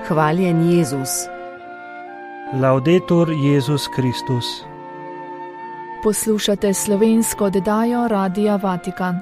Hvaljen Jezus. Laudetur Jezus Kristus. Poslušate slovensko oddajo Radia Vatikan.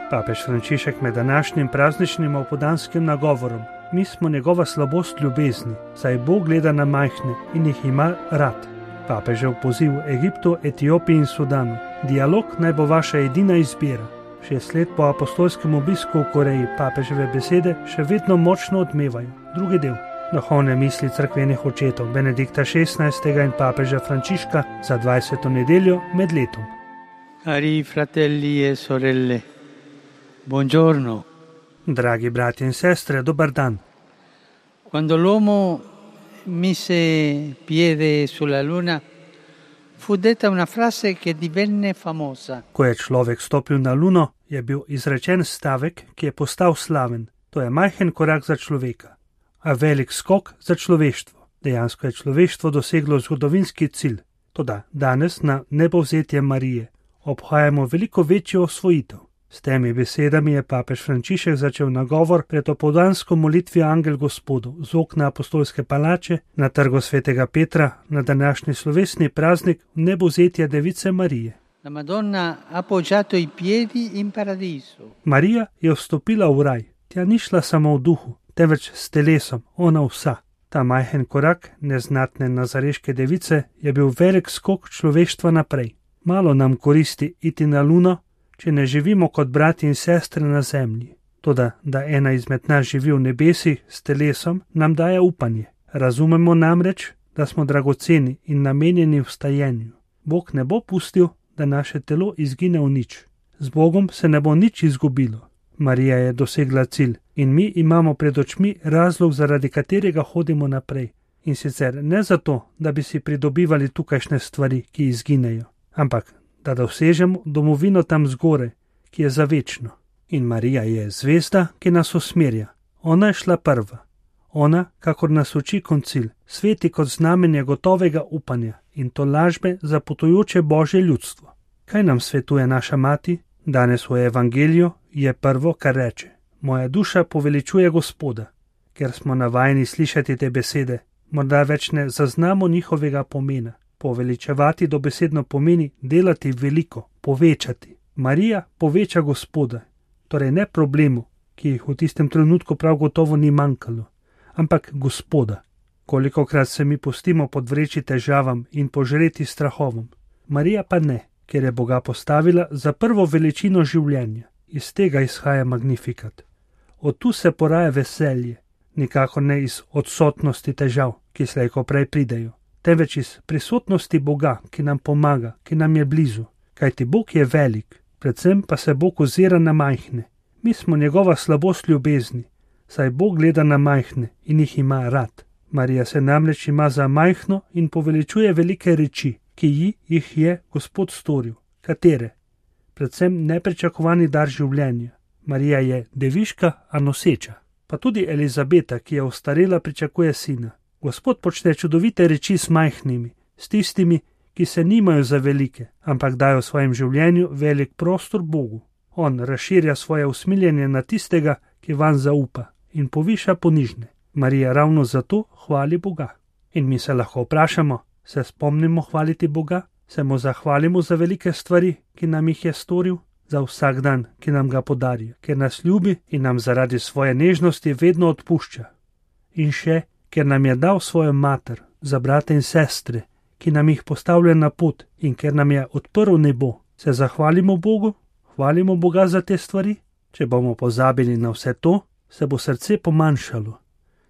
Papež Frančišek med današnjim prazničnim opoldanskim nagovorom: mi smo njegova slabost ljubezni, saj Bog gleda na majhne in jih ima rad. Papežev poziv Egiptu, Etiopiji in Sudanu: dialog naj bo vaša edina izbira. 6 let po apostolskem obisku v Koreji papeževe besede še vedno močno odmevajo. Drugi del. Duhovne misli cerkvenih očetov Benedikta XVI. In papeža Frančiška za 20. nedeljo med letom. Cari fratelli e sorelle, buongiorno. Dragi brati in sestre, dober dan. Quando l'uomo mise piede sulla luna, fu detta una frase che divenne famosa. Ko je človek stopil na luno, je bil izrečen stavek, ki je postal slaven. To je majhen korak za človeka, a velik skok za človeštvo. Dejansko je človeštvo doseglo zgodovinski cilj. Toda danes na nebovzetje Marije obhajamo veliko večjo osvojitev. S temi besedami je papež Frančišek začel nagovor pred opoldansko molitvijo Angel Gospodu z okna apostolske palače na trgu svetega Petra na današnji slovesni praznik nebovzetja Device Marije. La Madonna ha appoggiato i piedi in paradiso. Marija je vstopila v raj. Tja ni šla samo v duhu, temveč s telesom, ona vsa. Ta majhen korak neznatne nazareške device je bil velik skok človeštva naprej. Malo nam koristi iti na luno, če ne živimo kot brati in sestre na zemlji. Toda, da ena izmed nas živi v nebesih s telesom, nam daje upanje. Razumemo namreč, da smo dragoceni in namenjeni vstajenju. Bog ne bo pustil, da naše telo izgine v nič. Z Bogom se ne bo nič izgubilo. Marija je dosegla cilj in mi imamo pred očmi razlog, zaradi katerega hodimo naprej. In sicer ne zato, da bi si pridobivali tukajšnje stvari, ki izginejo, ampak da dosežemo domovino tam zgore, ki je za večno. In Marija je zvezda, ki nas usmerja. Ona je šla prva. Ona, kakor nas uči koncil, sveti kot znamenje gotovega upanja in tolažbe za potujoče Božje ljudstvo. Kaj nam svetuje naša mati? Danes v evangeliju je prvo, kar reče: moja duša poveličuje Gospoda. Ker smo navajeni slišati te besede, morda več ne zaznamo njihovega pomena. Poveličevati dobesedno pomeni delati veliko, povečati. Marija poveča Gospoda, torej ne problemu, ki jih v tistem trenutku prav gotovo ni manjkalo, ampak Gospoda. Kolikokrat se mi pustimo podvreči težavam in požreti strahovom. Marija pa ne, ker je Boga postavila za prvo veličino življenja. Iz tega izhaja Magnificat. Od tu se poraja veselje, nikakor ne iz odsotnosti težav, ki slej ko prej pridejo, temveč iz prisotnosti Boga, ki nam pomaga, ki nam je blizu. Kajti Bog je velik, predvsem pa se Bog ozira na majhne. Mi smo njegova slabost ljubezni, saj Bog gleda na majhne in jih ima rad. Marija se namreč ima za majhno in poveličuje velike reči, ki jih je Gospod storil. Katere? Predvsem nepričakovani dar življenja. Marija je deviška, a noseča. Pa tudi Elizabeta, ki je ostarela, pričakuje sina. Gospod počne čudovite reči s majhnimi, s tistimi, ki se nimajo za velike, ampak dajo v svojem življenju velik prostor Bogu. On razširja svoje usmiljenje na tistega, ki vanj zaupa, in poviša ponižne. Marija ravno zato hvali Boga. In mi se lahko vprašamo, se spomnimo hvaliti Boga? Se mu zahvalimo za velike stvari, ki nam jih je storil? Za vsak dan, ki nam ga podarja, ker nas ljubi in nam zaradi svoje nežnosti vedno odpušča. In še, ker nam je dal svojo mater, za brate in sestre, ki nam jih postavlja na pot in ker nam je odprl nebo. Se zahvalimo Bogu? Hvalimo Boga za te stvari? Če bomo pozabili na vse to, se bo srce pomanjšalo.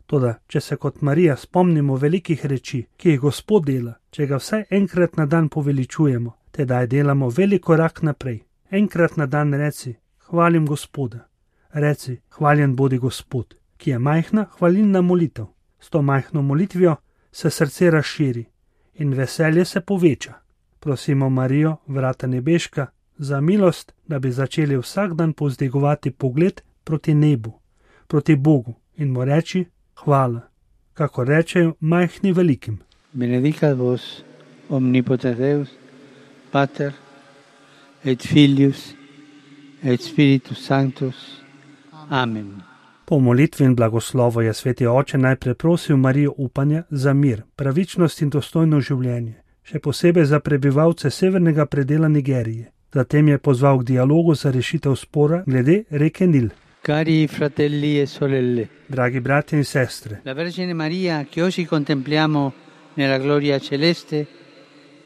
Toda, če se kot Marija spomnimo velikih reči, ki jih Gospod dela, če ga vsaj enkrat na dan poveličujemo, tedaj delamo velik korak naprej. Enkrat na dan reci: hvalim Gospoda. Reci: hvaljen bodi Gospod, ki je majhna hvalilna molitev. S to majhno molitvijo se srce razširi in veselje se poveča. Prosimo Marijo, vrata nebeška, za milost, da bi začeli vsak dan povzdigovati pogled proti nebu, proti Bogu in mu reči hvala, kako rečejo majhni velikim. Benedicat vos omnipotens Deus, Pater et Filius et Spiritus Sanctus. Amen. Po molitvi in blagoslovu je sveti oče najprej prosil Marijo upanja za mir, pravičnost in dostojno življenje, še posebej za prebivalce severnega predela Nigerije. Zatem je pozval k dialogu za rešitev spora glede reke Nil. Cari fratelli e sorelle, Dragi bratje in sestre, la Vergine Maria che oggi contempliamo nella gloria celeste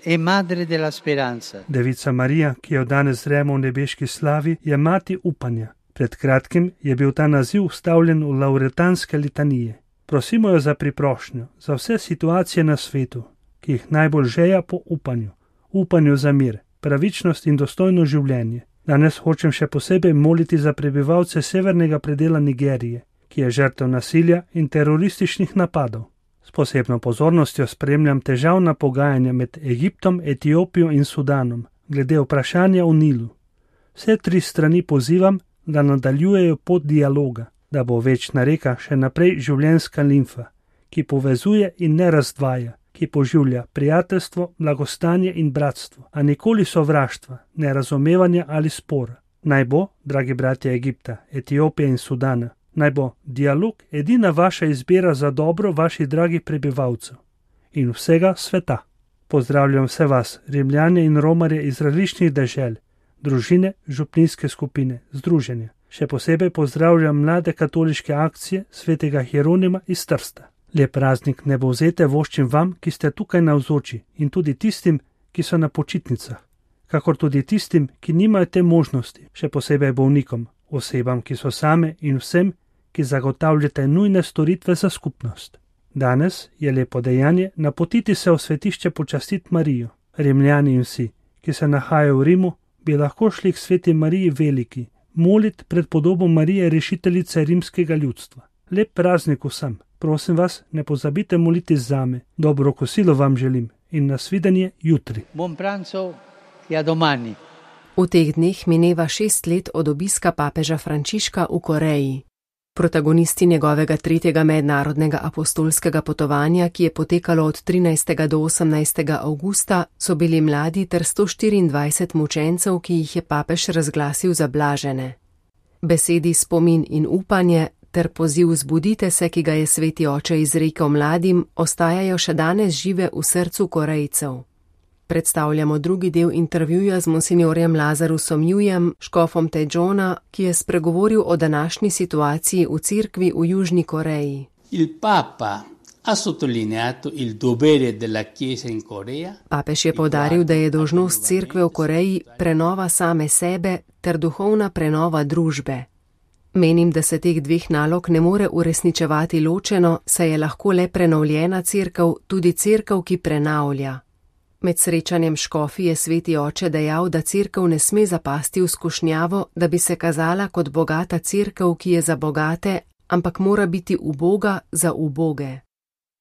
è madre della speranza. Devica Marija, ki jo danes zremo v nebeški slavi, je mati upanja. Pred kratkim je bil ta naziv vstavljen v lavretanske litanije. Prosimo jo za priprošnjo, za vse situacije na svetu, ki jih najbolj žeja po upanju za mir, pravičnost in dostojno življenje. Danes hočem še posebej moliti za prebivalce severnega predela Nigerije, ki je žrtev nasilja in terorističnih napadov. S posebno pozornostjo spremljam težavna pogajanja med Egiptom, Etiopijo in Sudanom glede vprašanja o Nilu. Vse tri strani pozivam, da nadaljujejo pot dialoga, da bo večna reka še naprej življenjska limfa, ki povezuje in ne razdvaja, ki poživlja prijateljstvo, blagostanje in bratstvo, a nikoli sovraštva, nerazumevanja ali spora. Naj bo, dragi bratje Egipta, Etiopije in Sudana, naj bo dialog edina vaša izbira za dobro vaših dragih prebivalcev in vsega sveta. Pozdravljam vse vas, Rimljane in Romarje iz različnih dežel, družine, župnijske skupine, združenja. Še posebej pozdravljam mlade katoliške akcije svetega Hieronima iz Trsta. Lep praznik Nebovzete voščim vam, ki ste tukaj navzoči, in tudi tistim, ki so na počitnicah, kakor tudi tistim, ki nimajo te možnosti, še posebej bolnikom, osebam, ki so same in vsem, ki zagotavljate nujne storitve za skupnost. Danes je lepo dejanje napotiti se v svetišče počastiti Marijo. Rimljani in vsi, ki se nahajajo v Rimu, bi lahko šli k sveti Mariji Veliki, molit pred podobo Marije rešiteljice rimskega ljudstva. Lep praznik vsem. Prosim vas, ne pozabite moliti zame. Dobro kosilo vam želim in nasvidenje jutri. Buon pranzo e a domani. V teh dneh mineva 6 let od obiska papeža Frančiška v Koreji. Protagonisti njegovega 3. mednarodnega apostolskega potovanja, ki je potekalo od 13. do 18. avgusta, so bili mladi ter 124 mučencev, ki jih je papež razglasil za blažene. Besedi spomin in upanje ter poziv zbudite se, ki ga je sveti oče izrekel mladim, ostajajo še danes žive v srcu Korejcev. Predstavljamo drugi del intervjuja z monsinjorjem Lazarusom Jujem, škofom Tejona, ki je spregovoril o današnji situaciji v cerkvi v Južni Koreji. Il Papa ha sottolineato il dovere della Chiesa in Corea. Papež je poudaril, da je dolžnost cerkve v Koreji prenova same sebe ter duhovna prenova družbe. Menim, da se teh dveh nalog ne more uresničevati ločeno, saj je lahko le prenovljena cerkev tudi cerkev, ki prenavlja. Med srečanjem škofi je sveti oče dejal, da cerkev ne sme zapasti v skušnjavo, da bi se kazala kot bogata cerkev, ki je za bogate, ampak mora biti uboga za uboge.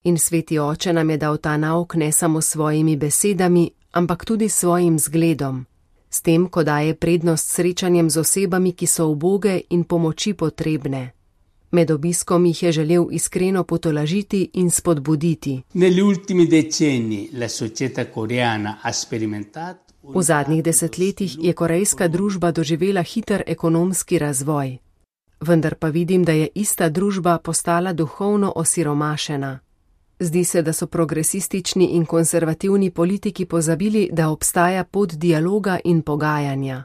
In sveti oče nam je dal ta nauk ne samo svojimi besedami, ampak tudi svojim zgledom, s tem, ko daje prednost srečanjem z osebami, ki so uboge in pomoči potrebne. Med obiskom jih je želel iskreno potolažiti in spodbuditi. Negli ultimi decenni la società coreana ha sperimentato. V zadnjih desetletjih je korejska družba doživela hiter ekonomski razvoj. Vendar pa vidim, da je ista družba postala duhovno osiromašena. Zdi se, da so progresistični in konservativni politiki pozabili, da obstaja pot dialoga in pogajanja.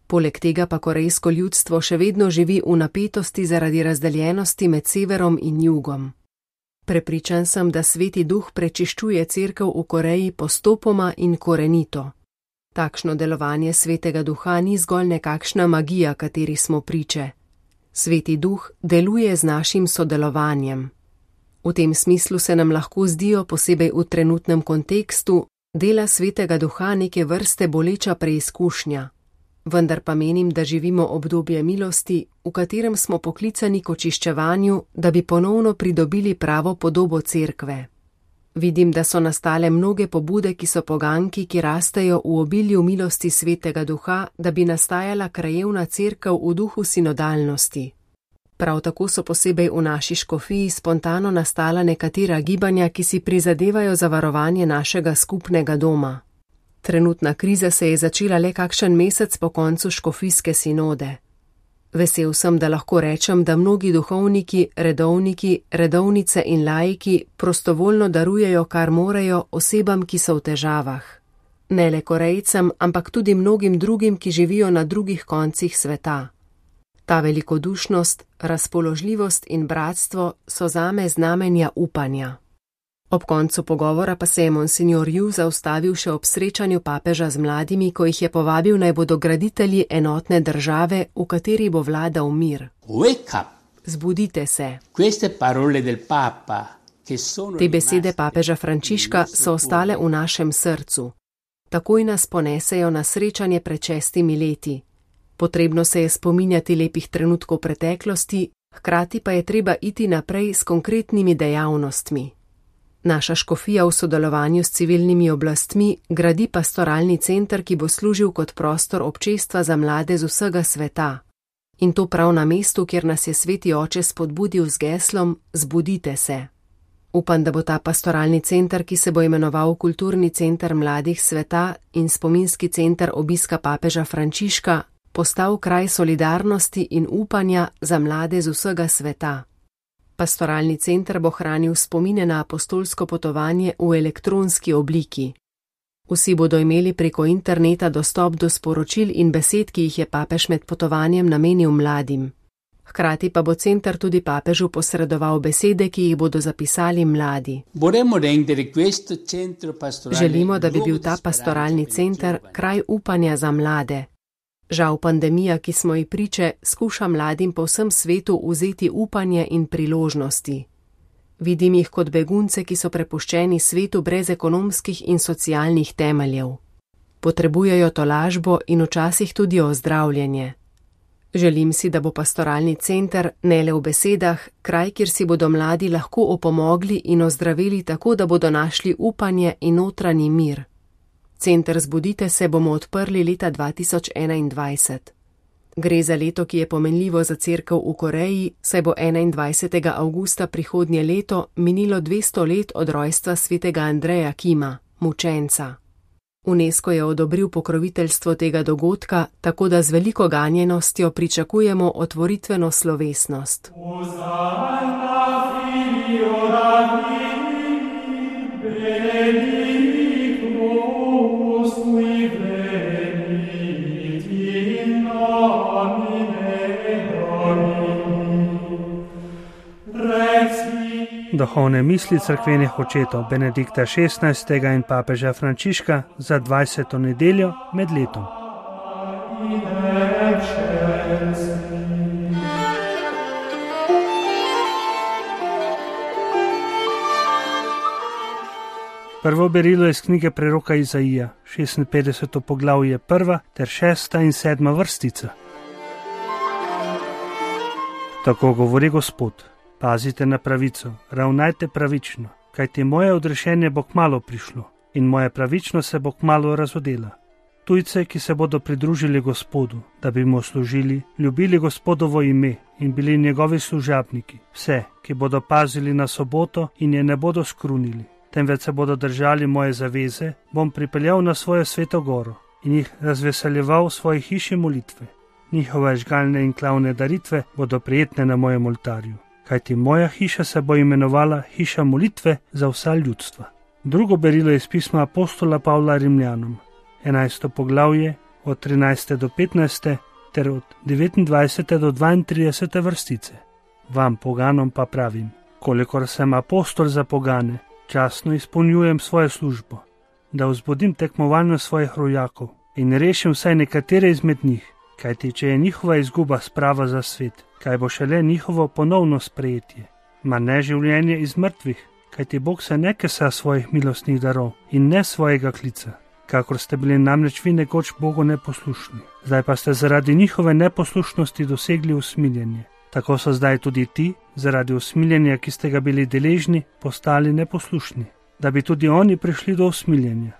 Poleg tega pa korejsko ljudstvo še vedno živi v napetosti zaradi razdeljenosti med severom in jugom. Prepričan sem, da sveti duh prečiščuje cerkev v Koreji postopoma in korenito. Takšno delovanje svetega duha ni zgolj nekakšna magija, kateri smo priče. Sveti duh deluje z našim sodelovanjem. V tem smislu se nam lahko zdijo, posebej v trenutnem kontekstu, dela svetega duha neke vrste boleča preizkušnja. Vendar pa menim, da živimo obdobje milosti, v katerem smo poklicani k očiščevanju, da bi ponovno pridobili pravo podobo cerkve. Vidim, da so nastale mnoge pobude, ki so poganki, ki rastejo v obilju milosti svetega duha, da bi nastajala krajevna cerkev v duhu sinodalnosti. Prav tako so posebej v naši škofiji spontano nastala nekatera gibanja, ki si prizadevajo za varovanje našega skupnega doma. Trenutna kriza se je začela le kakšen mesec po koncu škofijske sinode. Vesel sem, da lahko rečem, da mnogi duhovniki, redovniki, redovnice in laiki prostovoljno darujejo, kar morejo, osebam, ki so v težavah. Ne le Korejcem, ampak tudi mnogim drugim, ki živijo na drugih koncih sveta. Ta velikodušnost, razpoložljivost in bratstvo so zame znamenja upanja. Ob koncu pogovora pa se je monsignor Yu zaustavil še ob srečanju papeža z mladimi, ko jih je povabil, naj bodo graditelji enotne države, v kateri bo vladal mir. Zbudite se. Te besede papeža Frančiška so ostale v našem srcu. Takoj nas ponesejo na srečanje pred 6 leti. Potrebno se je spominjati lepih trenutkov preteklosti, hkrati pa je treba iti naprej s konkretnimi dejavnostmi. Naša škofija v sodelovanju s civilnimi oblastmi gradi pastoralni center, ki bo služil kot prostor občestva za mlade z vsega sveta. In to prav na mestu, kjer nas je Sveti Oče spodbudil z geslom Zbudite se. Upam, da bo ta pastoralni center, ki se bo imenoval Kulturni center mladih sveta in spominski center obiska papeža Frančiška, postal kraj solidarnosti in upanja za mlade z vsega sveta. Pastoralni center bo hranil spomine na apostolsko potovanje v elektronski obliki. Vsi bodo imeli preko interneta dostop do sporočil in besed, ki jih je papež med potovanjem namenil mladim. Hkrati pa bo center tudi papežu posredoval besede, ki jih bodo zapisali mladi. Želimo, da bi bil ta pastoralni center kraj upanja za mlade. Žal pandemija, ki smo ji priče, skuša mladim po vsem svetu vzeti upanje in priložnosti. Vidim jih kot begunce, ki so prepuščeni svetu brez ekonomskih in socialnih temeljev. Potrebujejo tolažbo in včasih tudi ozdravljenje. Želim si, da bo pastoralni center, ne le v besedah, kraj, kjer si bodo mladi lahko opomogli in ozdravili tako, da bodo našli upanje in notranji mir. Center Zbudite se bomo odprli leta 2021. Gre za leto, ki je pomenljivo za cerkev v Koreji, saj bo 21. avgusta prihodnje leto minilo 200 let od rojstva svetega Andreja Kima, mučenca. UNESCO je odobril pokroviteljstvo tega dogodka, tako da z veliko ganjenostjo pričakujemo otvoritveno slovesnost. Duhovne misli cerkvenih očetov Benedikta XVI. In papeža Frančiška za 20. nedeljo med letom. Prvo berilo iz knjige preroka Izaija, 56. poglavje 1. ter 6. in 7. vrstica. Tako govori Gospod. Pazite na pravico, ravnajte pravično, kajti moje odrešenje bo kmalu prišlo in moja pravičnost se bo kmalu razodela. Tujce, ki se bodo pridružili Gospodu, da bi mu služili, ljubili Gospodovo ime in bili njegovi služabniki, vse, ki bodo pazili na soboto in je ne bodo skrunili, temveč se bodo držali moje zaveze, bom pripeljal na svojo sveto goro in jih razveseljeval v svoji hiši molitve. Njihove žgalne in klavne daritve bodo prijetne na mojem oltarju. Kajti moja hiša se bo imenovala hiša molitve za vsa ljudstva. Drugo berilo je iz pisma apostola Pavla Rimljanom, 11. poglavje od 13. do 15. ter od 29. do 32. vrstice. Vam, poganom, pa pravim, kolikor sem apostol za pogane, častno izpolnjujem svojo službo, da vzbudim tekmovanje svojih rojakov in rešim vsaj nekatere izmed njih, kajti če je njihova izguba sprava za svet, kaj bo šele njihovo ponovno sprejetje, ma ne življenje iz mrtvih, kajti Bog se ne kesa svojih milostnih darov in ne svojega klica, kakor ste bili namreč vi nekoč Bogu neposlušni. Zdaj pa ste zaradi njihove neposlušnosti dosegli usmiljenje. Tako so zdaj tudi ti, zaradi usmiljenja, ki ste ga bili deležni, postali neposlušni, da bi tudi oni prišli do usmiljenja.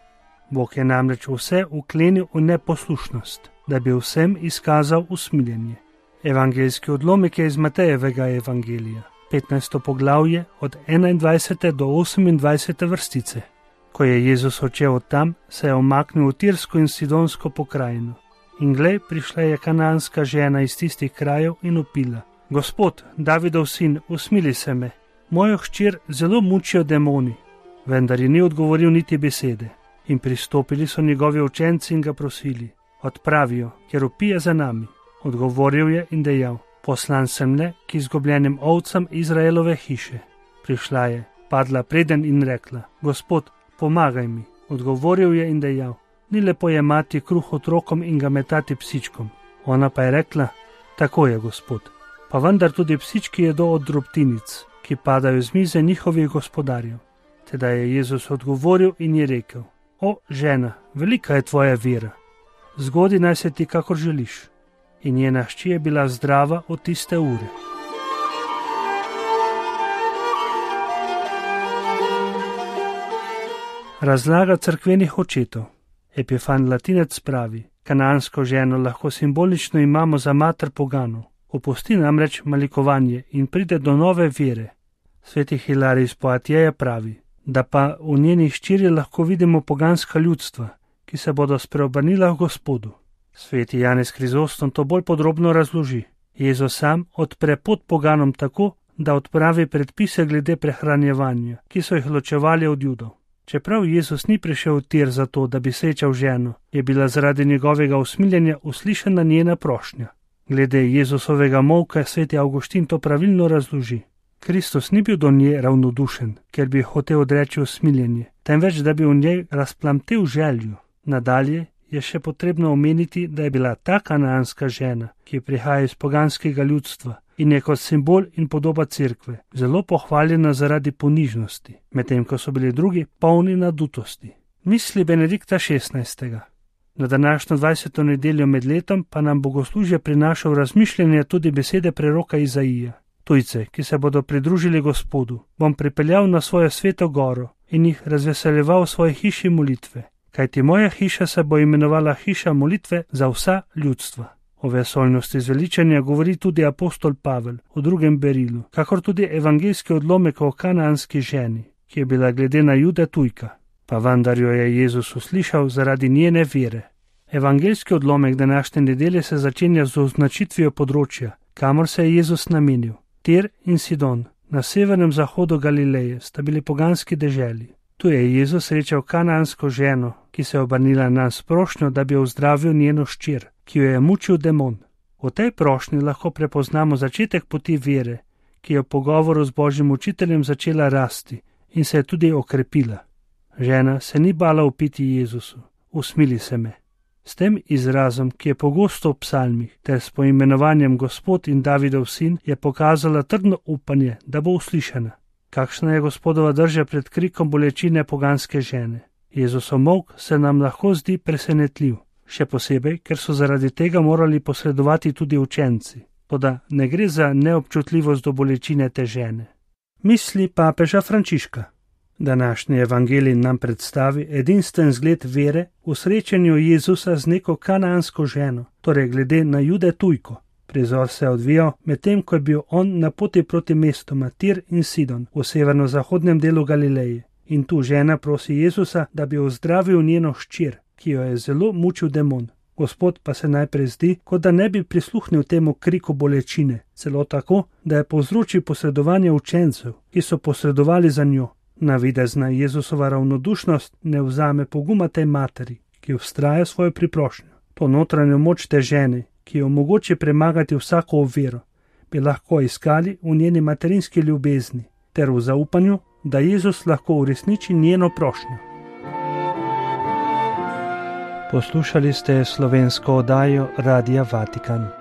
Bog je namreč vse uklenil v neposlušnost, da bi vsem izkazal usmiljenje. Evangeljski odlomek je iz Matejevega evangelija, 15. poglavje od 21. do 28. vrstice. Ko je Jezus odšel od tam, se je omaknil v Tirsko in Sidonsko pokrajino In glej, prišla je kananska žena iz tistih krajev in vpila: Gospod, Davidov sin, usmili se me, mojo hčer zelo mučijo demoni. Vendar ji ni odgovoril niti besede. In pristopili so njegovi učenci in ga prosili: Odpravijo, ker vpije za nami. Odgovoril je in dejal: Poslan sem le k izgubljenim ovcam Izraelove hiše. Prišla je, padla preden in rekla: Gospod, pomagaj mi. Odgovoril je in dejal: Ni lepo jemati kruh otrokom in ga metati psičkom. Ona pa je rekla: Tako je, Gospod. Pa vendar tudi psički jedo od drobtinic, ki padajo z mize njihovih gospodarjev. Teda je Jezus odgovoril in je rekel: O, žena, velika je tvoja vera. Zgodi naj se ti, kakor želiš. In njena hči je bila zdrava od tiste ure. Razlaga cerkvenih očetov. Epifan Latinec pravi: Kanansko ženo lahko simbolično imamo za mater poganov. Opusti namreč malikovanje in pride do nove vere. Sveti Hilarij iz Poatjeja pravi, da pa v njeni hčeri lahko vidimo poganska ljudstva, ki se bodo spreobrnila v Gospodu. Sveti Janez Krizostom to bolj podrobno razloži. Jezus sam odpre pot poganom tako, da odpravi predpise glede prehranjevanja, ki so jih ločevali od Judov. Čeprav Jezus ni prišel v Tir zato, da bi srečal ženo, je bila zaradi njegovega usmiljenja uslišana njena prošnja. Glede Jezusovega molka sveti Avguštin to pravilno razloži. Kristus ni bil do nje ravnodušen, ker bi hotel odreči usmiljenje, temveč da bi v njej razplamtel željo. Nadalje je še potrebno omeniti, da je bila ta kananska žena, ki prihaja iz poganskega ljudstva in je kot simbol in podoba cerkve, zelo pohvaljena zaradi ponižnosti, medtem ko so bili drugi polni nadutosti. Misli Benedikta XVI. Na današnjo 20. nedeljo med letom pa nam bogoslužje prinaša v razmišljanje tudi besede preroka Izaija. Tujce, ki se bodo pridružili Gospodu, bom pripeljal na svojo sveto goro in jih razveseljeval v svoji hiši molitve. Kajti moja hiša se bo imenovala hiša molitve za vsa ljudstva. O vesoljnosti zveličanja govori tudi apostol Pavel v 2. berilu, kakor tudi evangeljski odlomek o kananski ženi, ki je bila glede na Jude tujka, pa vendar jo je Jezus uslišal zaradi njene vere. Evangeljski odlomek današnje nedelje se začenja z označitvijo področja, kamor se je Jezus namenil. Tir in Sidon, na severnem zahodu Galileje, sta bili poganski deželi. Tu je Jezus srečal kanansko ženo, ki se je obrnila nanj s prošnjo, da bi ozdravil njeno hčer, ki jo je mučil demon. V tej prošnji lahko prepoznamo začetek poti vere, ki je v pogovoru z Božjim učiteljem začela rasti in se je tudi okrepila. Žena se ni bala upiti Jezusu: Usmili se me. S tem izrazom, ki je pogosto v psalmih, ter s poimenovanjem Gospod in Davidov sin, je pokazala trdno upanje, da bo uslišana. Kakšna je Gospodova drža pred krikom bolečine poganske žene? Jezusov molk se nam lahko zdi presenetljiv, še posebej, ker so zaradi tega morali posredovati tudi učenci. Toda ne gre za neobčutljivost do bolečine te žene. Misli papeža Frančiška. Današnji evangelij nam predstavi edinstven zgled vere v srečanju Jezusa z neko kanansko ženo, torej glede na Jude tujko. Prizor se je odvijal medtem, ko je bil on na poti proti mestoma Tir in Sidon v severno-zahodnem delu Galileje. In tu žena prosi Jezusa, da bi ozdravil njeno hčer, ki jo je zelo mučil demon. Gospod pa se najprej zdi, kot da ne bi prisluhnil temu kriku bolečine, celo tako, da je povzročil posredovanje učencev, ki so posredovali za njo. Navidezna Jezusova ravnodušnost ne vzame poguma tej materi, ki vztraja svojo priprošnjo. To notranjo moč te žene, ki jo omogoči premagati vsako oviro, bi lahko iskali v njeni materinski ljubezni ter v zaupanju, da Jezus lahko uresniči njeno prošnjo. Poslušali ste slovensko oddajo Radia Vatikan.